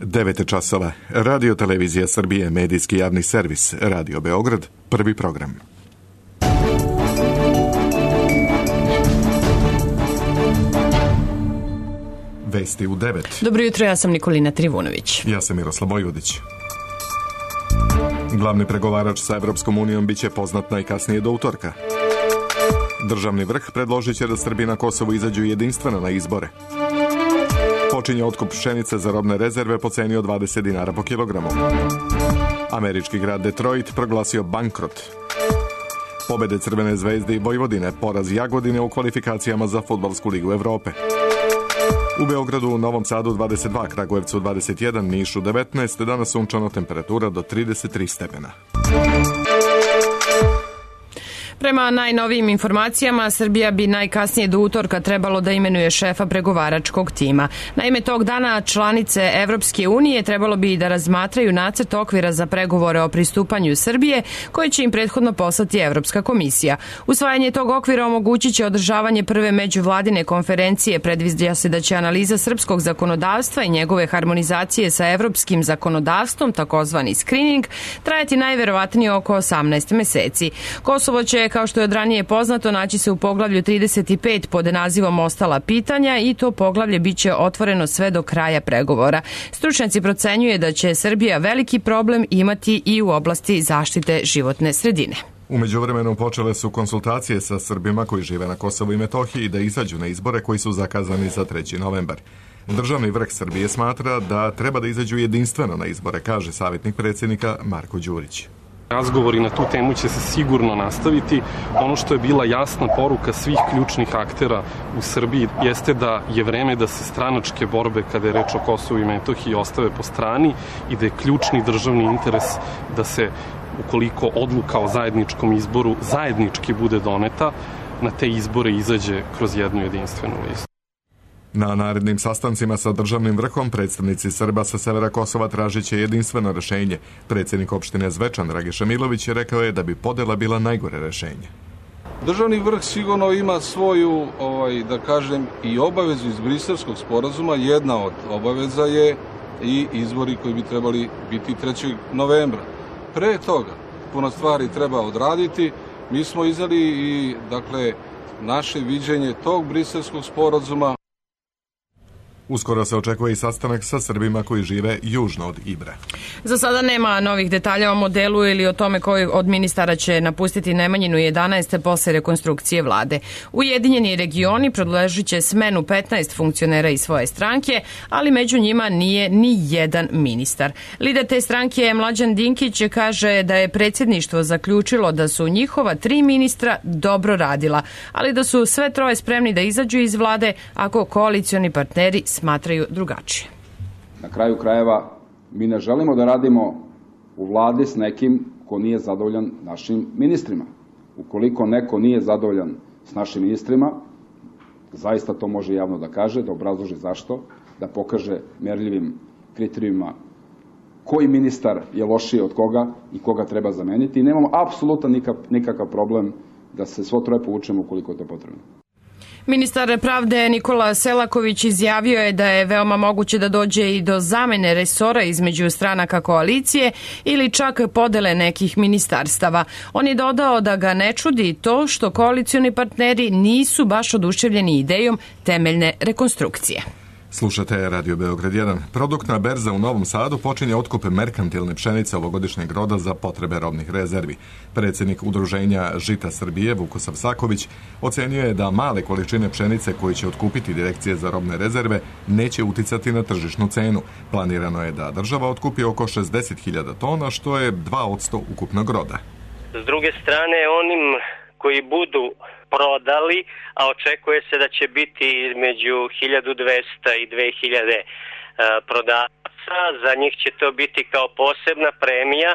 9 časova. Radio Televizija Srbije, medijski javni servis, Radio Beograd, prvi program. Vesti u 9. Dobro jutro, ja sam Nikolina Trivunović. Ja sam Miroslav Bojudić. Glavni pregovarač sa Evropskom unijom biće poznat najkasnije do utorka. Državni vrh predložit će da Srbi na Kosovu izađu jedinstveno na izbore. Počinje otkup pšenice za robne rezerve po ceni od 20 dinara po kilogramu. Američki grad Detroit proglasio bankrot. Pobede Crvene zvezde i Vojvodine, poraz Jagodine u kvalifikacijama za Fudbalsku ligu Evrope. U Beogradu, u Novom Sadu 22, Kragujevcu 21, Nišu 19, danas sunčano, temperatura do 33 stepena. Prema najnovijim informacijama, Srbija bi najkasnije do utorka trebalo da imenuje šefa pregovaračkog tima. Naime, tog dana članice Evropske unije trebalo bi da razmatraju nacrt okvira za pregovore o pristupanju Srbije, koji će im prethodno poslati Evropska komisija. Usvajanje tog okvira omogućit će održavanje prve međuvladine konferencije. Predviđa se da će analiza srpskog zakonodavstva i njegove harmonizacije sa evropskim zakonodavstvom, takozvani screening, trajati najverovatnije oko 18 meseci. Kosovo će, kao što je od ranije poznato, naći se u poglavlju 35 pod nazivom Ostala pitanja i to poglavlje biće otvoreno sve do kraja pregovora. Stručnjaci procenjuje da će Srbija veliki problem imati i u oblasti zaštite životne sredine. U međuvremenu počele su konsultacije sa Srbima koji žive na Kosovu i Metohiji da izađu na izbore koji su zakazani za 3. novembar. Državni vrh Srbije smatra da treba da izađu jedinstveno na izbore, kaže savjetnik predsjednika Marko Đurić. Razgovori na tu temu će se sigurno nastaviti. Ono što je bila jasna poruka svih ključnih aktera u Srbiji jeste da je vreme da se stranačke borbe kada je reč o Kosovu i Metohiji ostave po strani i da je ključni državni interes da se, ukoliko odluka o zajedničkom izboru zajednički bude doneta, na te izbore izađe kroz jednu jedinstvenu listu. Na narednim sastancima sa državnim vrhom predstavnici Srba sa severa Kosova tražit će jedinstveno rešenje. Predsjednik opštine Zvečan Dragiša Milović rekao je da bi podela bila najgore rešenje. Državni vrh sigurno ima svoju, da kažem, i obavezu iz Briselskog sporazuma. Jedna od obaveza je i izbori koji bi trebali biti 3. novembra. Pre toga puno stvari treba odraditi. Mi smo izdali i, naše viđenje tog Briselskog sporazuma. Uskoro se očekuje i sastanak sa Srbima koji žive južno od Ibra. Za sada nema novih detalja o modelu ili o tome koji od ministara će napustiti Nemanjinu 11. posle rekonstrukcije vlade. Ujedinjeni regioni predložit će smenu 15 funkcionera iz svoje stranke, ali među njima nije ni jedan ministar. Lider te stranke Mlađan Dinkić kaže da je predsjedništvo zaključilo da su njihova 3 ministra dobro radila, ali da su sve troje spremni da izađu iz vlade ako koalicioni partneri smatraju drugačije. Na kraju krajeva, mi ne želimo da radimo u vladi s nekim ko nije zadovoljan našim ministrima. Ukoliko neko nije zadovoljan s našim ministrima, zaista to može javno da kaže, da obrazloži zašto, da pokaže merljivim kriterijima koji ministar je lošiji od koga i koga treba zameniti. I nemamo apsolutno nikakav problem da se svo troje povučemo ukoliko je to potrebno. Ministar pravde Nikola Selaković izjavio je da je veoma moguće da dođe i do zamene resora između stranaka koalicije ili čak podele nekih ministarstava. On je dodao da ga ne čudi to što koalicioni partneri nisu baš oduševljeni idejom temeljne rekonstrukcije. Slušate Radio Beograd 1. Produktna berza u Novom Sadu počinje otkup merkantilne pšenice ovogodišnjeg roda za potrebe robnih rezervi. Predsjednik Udruženja Žita Srbije, Vukosav Saković, ocenio je da male količine pšenice koje će otkupiti Direkcije za robne rezerve neće uticati na tržišnu cenu. Planirano je da država otkupi oko 60.000 tona, što je 2% ukupnog roda. S druge strane, onim koji budu prodali, a očekuje se da će biti između 1200 i 2000 prodavaca. Za njih će to biti kao posebna premija,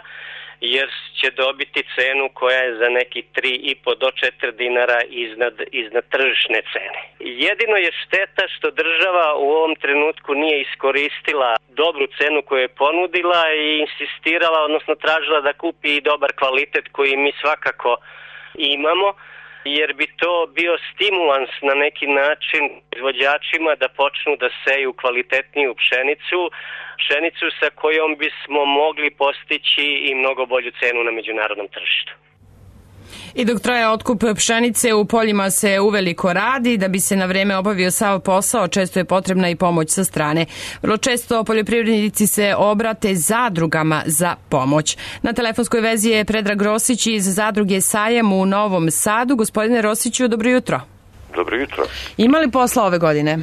jer će dobiti cenu koja je za neki 3,5 do 4 dinara iznad tržišne cene. Jedino je šteta što država u ovom trenutku nije iskoristila dobru cenu koju je ponudila i insistirala, odnosno tražila da kupi i dobar kvalitet koji mi svakako imamo. jer bi to bio stimulans na neki način izvođačima da počnu da seju kvalitetniju pšenicu sa kojom bismo mogli postići i mnogo bolju cenu na međunarodnom tržištu. I dok traje otkup pšenice, u poljima se uveliko radi. Da bi se na vreme obavio sav posao, često je potrebna i pomoć sa strane. Vrlo često poljoprivrednici se obrate zadrugama za pomoć. Na telefonskoj vezi je Predrag Rosić iz zadruge Sajam u Novom Sadu. Gospodine Rosiću, dobro jutro. Dobro jutro. Ima li posla ove godine?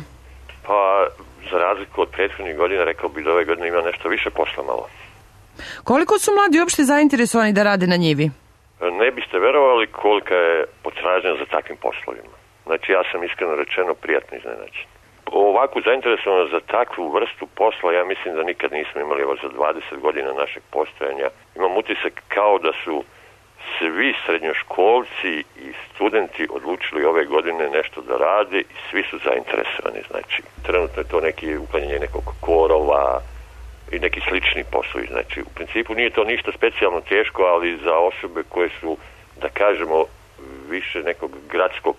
Pa, za razliku od prethodnih godina, rekao bih da ove godine ima nešto više posla malo. Koliko su mladi uopšte zainteresovani da rade na njivi? Ne biste verovali kolika je potražnja za takvim poslovima. Znači, ja sam iskreno rečeno prijatno iznenađen. Ovakvu zainteresovanost za takvu vrstu posla, ja mislim da nikad nismo imali za 20 godina našeg postojanja. Imam utisak kao da su svi srednjoškolci i studenti odlučili ove godine nešto da rade i svi su zainteresovani. Znači, trenutno je to neki uklanjanje nekog korova i neki slični poslovi. Znači, u principu nije to ništa specijalno teško, ali za osobe koje su, da kažemo, više nekog gradskog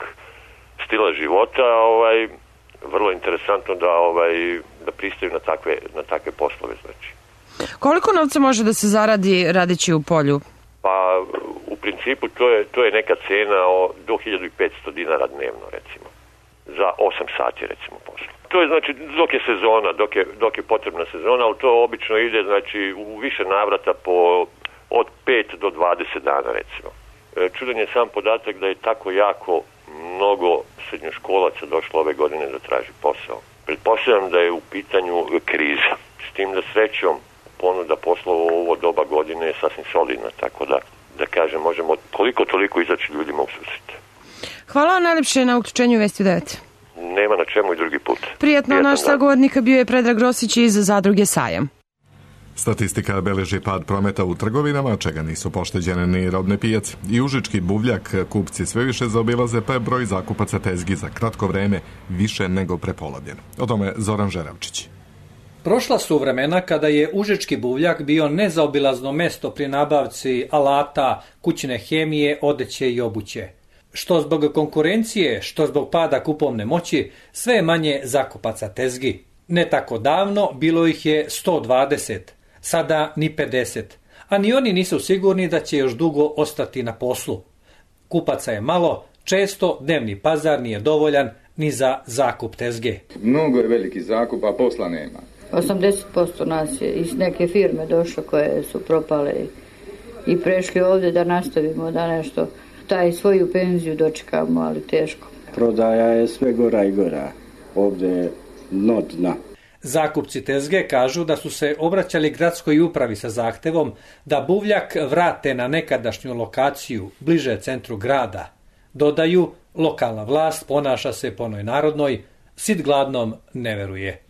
stila života, vrlo interesantno da pristaju na takve poslove. Znači. Koliko novca može da se zaradi radeći u polju? Pa, u principu to je neka cena do 1500 dinara dnevno, recimo. Za 8 sati, recimo, posla. To je znači dok je sezona, dok je potrebna sezona, ali to obično ide znači u više navrata od 5 do 20 dana, recimo. Čudan je sam podatak da je tako jako mnogo srednjoškolaca došlo ove godine da traži posao. Pretpostavljam da je u pitanju kriza. S tim da srećom ponuda poslova u ovo doba godine je sasvim solidna, tako da kažem, možemo koliko toliko izaći ljudima u susret. Hvala vam najlepše na uključenju Vesti 9. Nema na čemu i drugi put. Prijatno, naš sagovornik bio je Predrag Rosić iz zadruge Sajam. Statistika beleži pad prometa u trgovinama, čega nisu pošteđene ni robne pijace. I užički buvljak kupci sve više zaobilaze, pa je broj zakupaca tezgi za kratko vreme više nego prepolovljen. O tome Zoran Žeravčić. Prošla su vremena kada je užički buvljak bio nezaobilazno mesto pri nabavci alata, kućne hemije, odeće i obuće. Što zbog konkurencije, što zbog pada kupovne moći, sve je manje zakupaca tezgi. Ne tako davno bilo ih je 120, sada ni 50, a ni oni nisu sigurni da će još dugo ostati na poslu. Kupaca je malo, često dnevni pazar nije dovoljan ni za zakup tezge. Mnogo je veliki zakup, a posla nema. 80% nas je iz neke firme došlo koje su propale i prešli ovdje da nastavimo da nešto taj svoju penziju dočekamo, ali teško. Prodaja je sve gora i gora. Ovdje je dno dna. Zakupci tezge kažu da su se obraćali gradskoj upravi sa zahtevom da buvljak vrate na nekadašnju lokaciju bliže centru grada. Dodaju, lokalna vlast ponaša se po onoj narodnoj, sit gladnom ne veruje.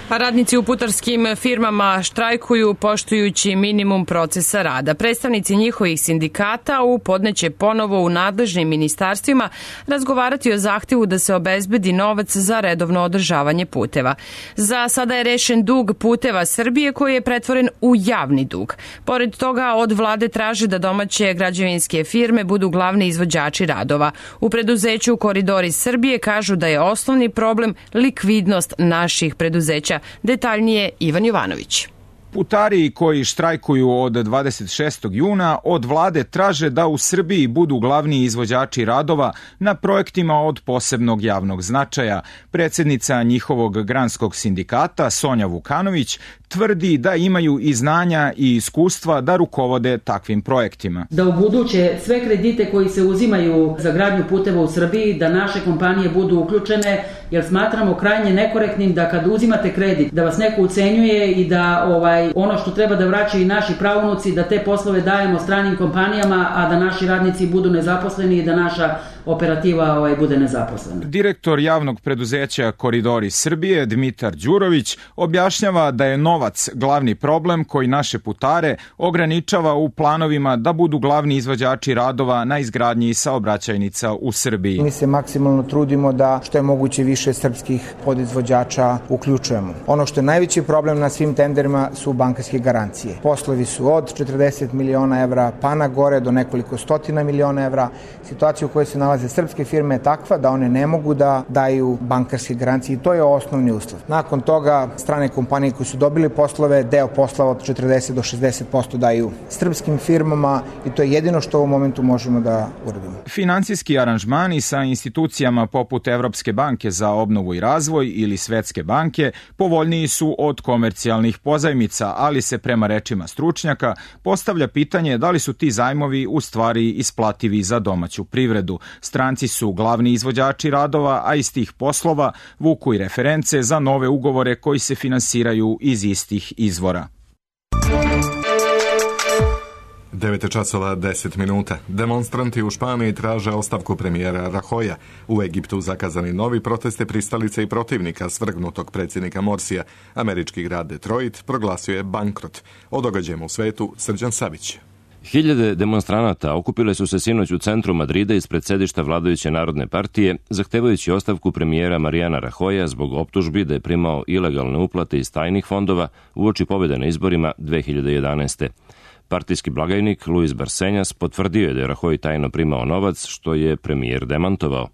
A radnici u putarskim firmama štrajkuju poštujući minimum procesa rada. Predstavnici njihovih sindikata u podneće ponovo u nadležnim ministarstvima razgovarati o zahtevu da se obezbedi novac za redovno održavanje puteva. Za sada je rešen dug Puteva Srbije koji je pretvoren u javni dug. Pored toga od vlade traže da domaće građevinske firme budu glavni izvođači radova. U preduzeću Koridori Srbije kažu da je osnovni problem likvidnost naših preduzeća. Detaljnije Ivan Jovanović. Putari koji štrajkuju od 26. juna od vlade traže da u Srbiji budu glavni izvođači radova na projektima od posebnog javnog značaja. Predsjednica njihovog granskog sindikata Sonja Vukanović tvrdi da imaju i znanja i iskustva da rukovode takvim projektima. Da u buduće sve kredite koji se uzimaju za gradnju puteva u Srbiji, da naše kompanije budu uključene, jer smatramo krajnje nekorektnim da kad uzimate kredit, da vas neko ucenjuje i da ono što treba da vraćaju i naši praunuci, da te poslove dajemo stranim kompanijama, a da naši radnici budu nezaposleni i da naša operativa bude nezaposlena. Direktor javnog preduzeća Koridori Srbije, Dmitar Đurović, objašnjava da je novo novac glavni problem koji naše putare ograničava u planovima da budu glavni izvođači radova na izgradnji saobraćajnica u Srbiji. Mi se maksimalno trudimo da što je moguće više srpskih podizvođača uključujemo. Ono što je najveći problem na svim tenderima su bankarske garancije. Poslovi su od 40 miliona evra pa na gore do nekoliko stotina miliona evra. Situacija u kojoj se nalaze srpske firme je takva da one ne mogu da daju bankarske garancije i to je osnovni uslov. Nakon toga strane kompanije koje su dobili poslove, deo poslova od 40 do 60% daju srpskim firmama i to je jedino što u ovom momentu možemo da uradimo. Finansijski aranžmani sa institucijama poput Evropske banke za obnovu i razvoj ili Svetske banke povoljniji su od komercijalnih pozajmica, ali se prema rečima stručnjaka postavlja pitanje da li su ti zajmovi u stvari isplativi za domaću privredu. Stranci su glavni izvođači radova, a iz tih poslova vuku i reference za nove ugovore koji se finansiraju iz istih izvora. 9:10. Demonstranti u Španiji traže ostavku premijera Rajoya. U Egiptu zakazani novi proteste pristalice i protivnika svrgnutog predsjednika Morsija. Američki grad Detroit proglasio je bankrot. O događajima u svetu Srđan Savić. Hiljade demonstranata okupile su se sinoć u centru Madrida ispred sedišta vladajuće Narodne partije, zahtevajući ostavku premijera Mariana Rajoya zbog optužbi da je primao ilegalne uplate iz tajnih fondova uoči pobjede na izborima 2011. Partijski blagajnik Luis Barcenas potvrdio je da je Rajoy tajno primao novac, što je premijer demantovao.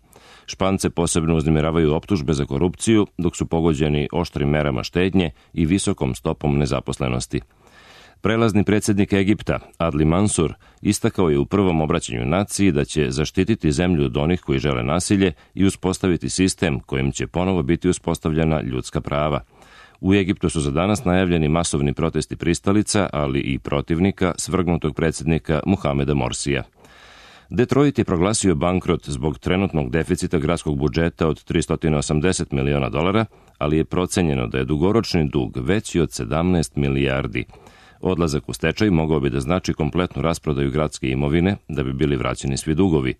Špance posebno uznemiravaju optužbe za korupciju, dok su pogođeni oštrim merama štednje i visokom stopom nezaposlenosti. Prelazni predsjednik Egipta, Adli Mansur, istakao je u prvom obraćanju naciji da će zaštititi zemlju od onih koji žele nasilje i uspostaviti sistem kojim će ponovo biti uspostavljena ljudska prava. U Egiptu su za danas najavljeni masovni protesti pristalica, ali i protivnika svrgnutog predsjednika Muhameda Morsija. Detroit je proglasio bankrot zbog trenutnog deficita gradskog budžeta od $380 miliona, ali je procenjeno da je dugoročni dug veći od 17 milijardi. Odlazak u stečaj mogao bi da znači kompletnu rasprodaju gradske imovine da bi bili vraćeni svi dugovi.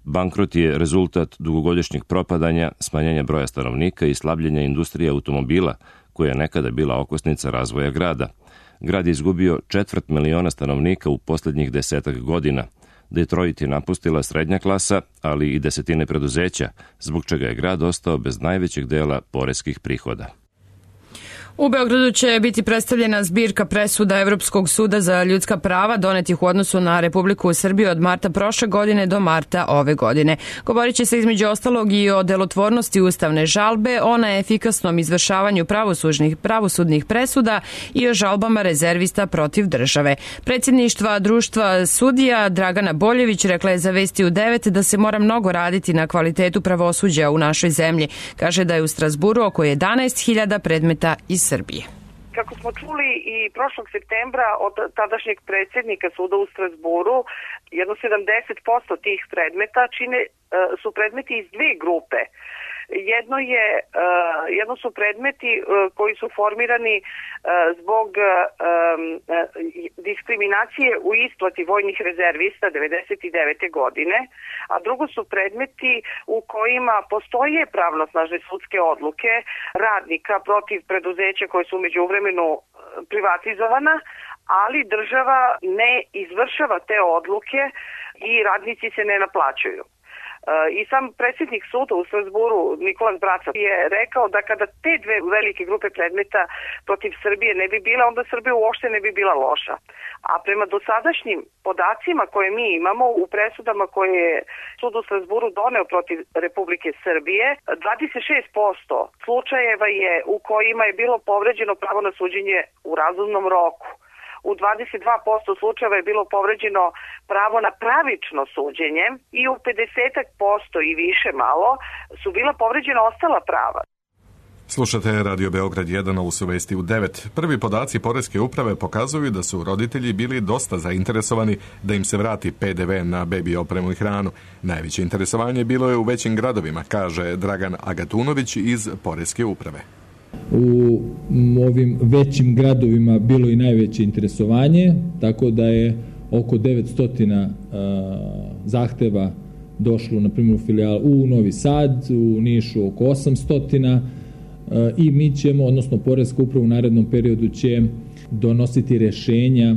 Bankrot je rezultat dugogodišnjeg propadanja, smanjenja broja stanovnika i slabljenja industrije automobila, koja je nekada bila okosnica razvoja grada. Grad je izgubio 250.000 stanovnika u posljednjih 10 godina. Detroit je napustila srednja klasa, ali i desetine preduzeća, zbog čega je grad ostao bez najvećeg dela poreskih prihoda. U Beogradu će biti predstavljena zbirka presuda Evropskog suda za ljudska prava donetih u odnosu na Republiku Srbiju od marta prošle godine do marta ove godine. Govorit će se između ostalog i o delotvornosti ustavne žalbe, o neefikasnom izvršavanju pravosudnih presuda i o žalbama rezervista protiv države. Predsjedništva društva sudija Dragana Boljević rekla je za Vesti u 9 da se mora mnogo raditi na kvalitetu pravosuđa u našoj zemlji. Kaže da je u Strazburu oko 11.000 predmeta iz Srbije. Kako smo čuli i prošlog septembra od tadašnjeg predsjednika suda u Strazburu, jedno 70% tih predmeta su predmeti iz dve grupe. Jedno su predmeti koji su formirani zbog diskriminacije u isplati vojnih rezervista 1999. godine, a drugo su predmeti u kojima postoje pravnosnažne sudske odluke radnika protiv preduzeća koje su međuvremenu privatizovana, ali država ne izvršava te odluke i radnici se ne naplaćuju. I sam predsjednik suda u Strazburu, Nikolas Braca, je rekao da kada te dve velike grupe predmeta protiv Srbije ne bi bile, onda Srbija uopšte ne bi bila loša. A prema dosadašnjim podacima koje mi imamo u presudama koje je sud u Strazburu doneo protiv Republike Srbije, 26% slučajeva je u kojima je bilo povređeno pravo na suđenje u razumnom roku. U 22% slučajeva je bilo povređeno pravo na pravično suđenje i u 50% i više malo su bila povređena ostala prava. Slušate Radio Beograd 1, ovo su Vesti u 9. Prvi podaci Poreske uprave pokazuju da su roditelji bili dosta zainteresovani da im se vrati PDV na bebi opremu i hranu. Najveće interesovanje bilo je u većim gradovima, kaže Dragan Agatunović iz Poreske uprave. U ovim većim gradovima bilo i najveće interesovanje, tako da je oko 900 zahteva došlo, na primjer, u Novi Sad, u Nišu oko 800, i mi ćemo, odnosno Poreska uprava u narednom periodu će donositi rešenja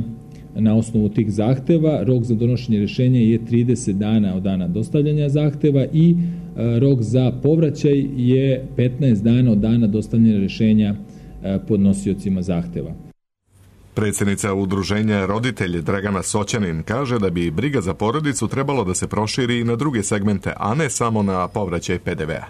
na osnovu tih zahteva. Rok za donošenje rešenja je 30 dana od dana dostavljanja zahteva i rok za povraćaj je 15 dana od dana dostavljanja rešenja podnosiocima zahteva. Predsjednica udruženja Roditelji Dragana Soćanin kaže da bi briga za porodicu trebalo da se proširi i na druge segmente, a ne samo na povraćaj PDV-a.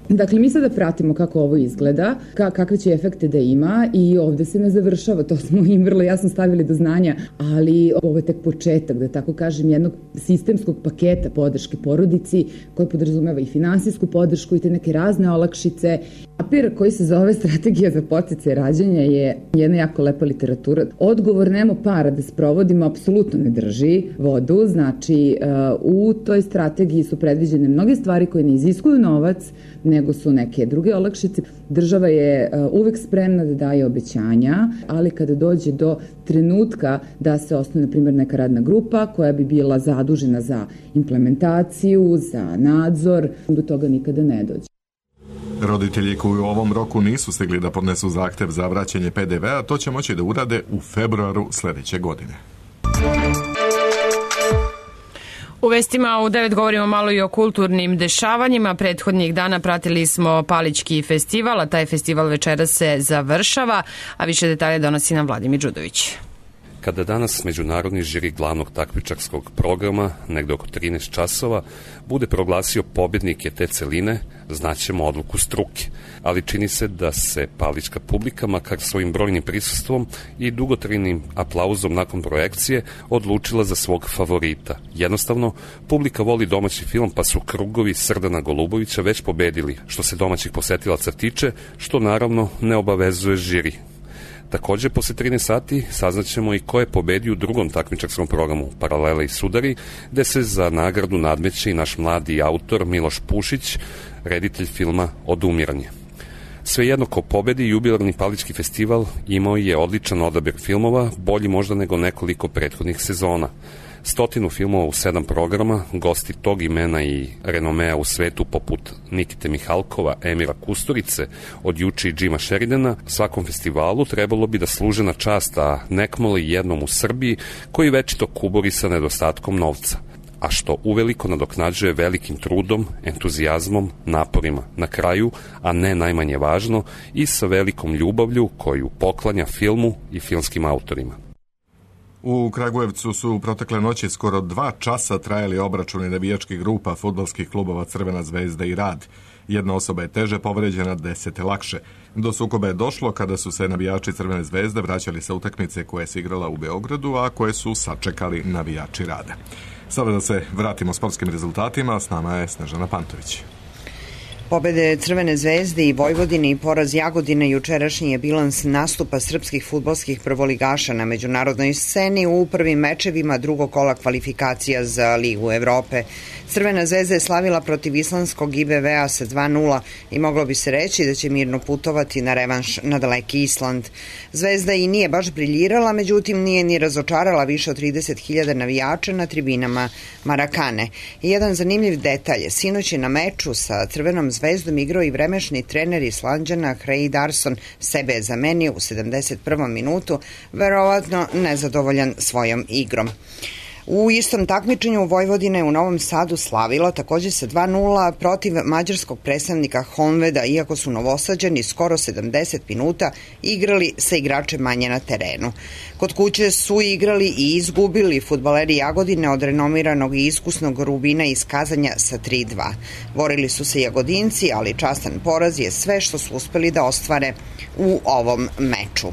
Dakle, mi sada pratimo kako ovo izgleda, kakve će efekte da ima i ovde se ne završava, to smo im vrlo jasno stavili do znanja, ali ovo je tek početak, da tako kažem, jednog sistemskog paketa podrške porodici koji podrazumeva i finansijsku podršku i te neke razne olakšice. Papir koji se zove Strategija za podsticaj rađanja je jedna jako lepa literatura. Odgovor nemo para da sprovodimo apsolutno ne drži vodu, znači u toj strategiji su predviđene mnoge stvari koje ne iziskuju novac, nego su neke druge olakšice. Država je uvek spremna da daje obećanja, ali kada dođe do trenutka da se osnuje, na primjer, neka radna grupa koja bi bila zadužena za implementaciju, za nadzor, do toga nikada ne dođe. Roditelji koji u ovom roku nisu stigli da podnesu zahtev za vraćanje PDV-a, to će moći da urade u februaru sledeće godine. U vestima u 9 govorimo malo i o kulturnim dešavanjima. Prethodnih dana pratili smo Palićki festival, a taj festival večeras se završava, a više detalje donosi nam Vladimir Đudović. Kada danas međunarodni žiri glavnog takmičarskog programa, negde oko 13 časova, bude proglasio pobjednike te celine, znaćemo odluku struke. Ali čini se da se palićka publika, makar svojim brojnim prisustvom i dugotrajnim aplauzom nakon projekcije, odlučila za svog favorita. Jednostavno, publika voli domaći film, pa su krugovi Srdana Golubovića već pobedili, što se domaćih posetilaca tiče, što naravno ne obavezuje žiri. Takođe, posle 13 sati saznaćemo i ko je pobedio u drugom takmičarskom programu Paralele i sudari, gde se za nagradu nadmeće i naš mladi autor Miloš Pušić, reditelj filma Odumiranje. Svejedno ko pobedi, jubilarni Palićki festival imao je odličan odabir filmova, bolji možda nego nekoliko prethodnih sezona. 100 filmova u 7 programa, gosti tog imena i renomea u svetu poput Nikite Mihalkova, Emira Kusturice, od juče i Džima Sheridana, svakom festivalu trebalo bi da služe na čast, a nekmoli jednom u Srbiji koji večito kuburi sa nedostatkom novca, a što uveliko nadoknađuje velikim trudom, entuzijazmom, naporima. Na kraju, a ne najmanje važno, i sa velikom ljubavlju koju poklanja filmu i filmskim autorima. U Kragujevcu su protekle noći skoro 2 časa trajali obračuni navijačkih grupa fudbalskih klubova Crvena zvezda i Rad. Jedna osoba je teže povređena, 10 lakše. Do sukoba je došlo kada su se navijači Crvene zvezde vraćali sa utakmice koje se igrala u Beogradu, a koje su sačekali navijači Rada. Sada da se vratimo sportskim rezultatima, s nama je Snežana Pantović. Pobede Crvene zvezde i Vojvodine i poraz Jagodine jučerašnji je bilans nastupa srpskih fudbalskih prvoligaša na međunarodnoj sceni u prvim mečevima drugog kola kvalifikacija za Ligu Evrope. Crvena zvezda je slavila protiv islandskog IBV-a sa 2:0 i moglo bi se reći da će mirno putovati na revanš na daleki Island. Zvezda i nije baš briljirala, međutim nije ni razočarala više od 30.000 navijača na tribinama Marakane. I jedan zanimljiv detalj, sinoć je na meču sa Crvenom zvezdom igrao i vremešni trener Islanđana Craig Darson, sebe je zamenio u 71. minutu, verovatno nezadovoljan svojom igrom. U istom takmičenju Vojvodina je u Novom Sadu slavila takođe sa 2:0 protiv mađarskog predstavnika Honveda, iako su Novosađani skoro 70 minuta igrali sa igračem manje na terenu. Kod kuće su igrali i izgubili fudbaleri Jagodine od renomiranog i iskusnog Rubina iz Kazanja sa 3:2. Borili su se Jagodinci, ali častan poraz je sve što su uspeli da ostvare u ovom meču.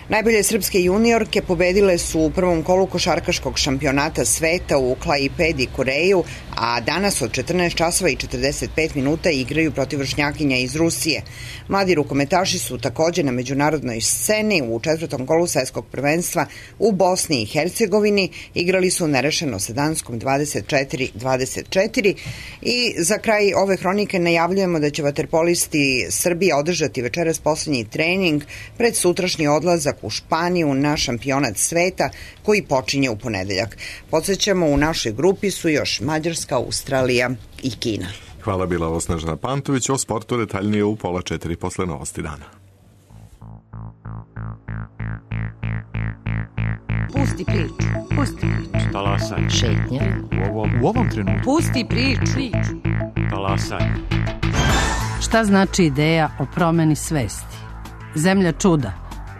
Najbolje srpske juniorke pobedile su u prvom kolu košarkaškog šampionata sveta u Klaipedi, Koreju, a danas od 14 časova i 45 minuta igraju protiv vršnjakinja iz Rusije. Mladi rukometaši su takođe na međunarodnoj sceni u 4. kolu svetskog prvenstva u Bosni i Hercegovini. Igrali su nerešeno sa Danskom 24-24 i za kraj ove hronike najavljujemo da će vaterpolisti Srbije održati večeras poslednji trening pred sutrašnji odlazak u Španiju na šampionat sveta koji počinje u ponedeljak. Podsećamo, u našoj grupi su još Mađarska, Australija i Kina. Hvala, bila ovo Snežana Pantović. O sportu detaljnije u 3:30 posle novosti dana. Pusti priču. Talasanje. Šetnja. U ovom trenutku. Pusti priču. Talasanje. Šta znači ideja o promeni svesti? Zemlja čuda,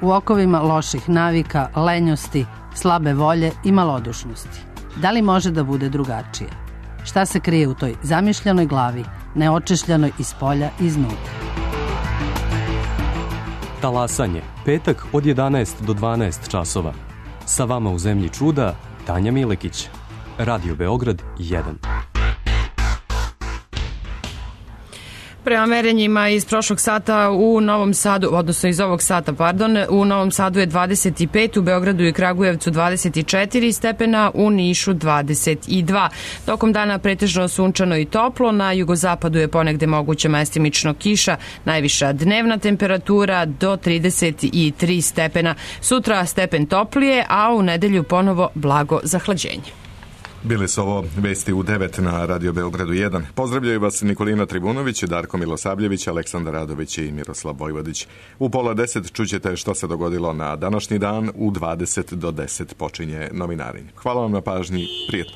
u okovima loših navika, lenjosti, slabe volje i malodušnosti. Da li može da bude drugačije? Šta se krije u toj zamišljenoj glavi, neočešljanoj iz polja i iznutra? Talasanje. Petak od 11 do 12 časova. Sa vama u Zemlji čuda, Tanja Milekić. Radio Beograd 1. Prema merenjima iz prošlog sata u Novom Sadu, odnosno iz ovog sata, u Novom Sadu je 25, u Beogradu i Kragujevcu 24 stepena, u Nišu 22. Tokom dana pretežno sunčano i toplo, na jugozapadu je ponegde moguća mestimično kiša, najviša dnevna temperatura do 33 stepena. Sutra stepen toplije, a u nedelju ponovo blago zahlađenje. Bili su ovo vesti u 9 na Radio Beogradu 1. Pozdravljaju vas Nikolina Tribunović, Darko Milosavljević, Aleksandar Radović i Miroslav Vojvodić. U 9:30 čućete što se dogodilo na današnji dan, u 20 do 10 počinje Novinarenje. Hvala vam na pažnji, prijetno.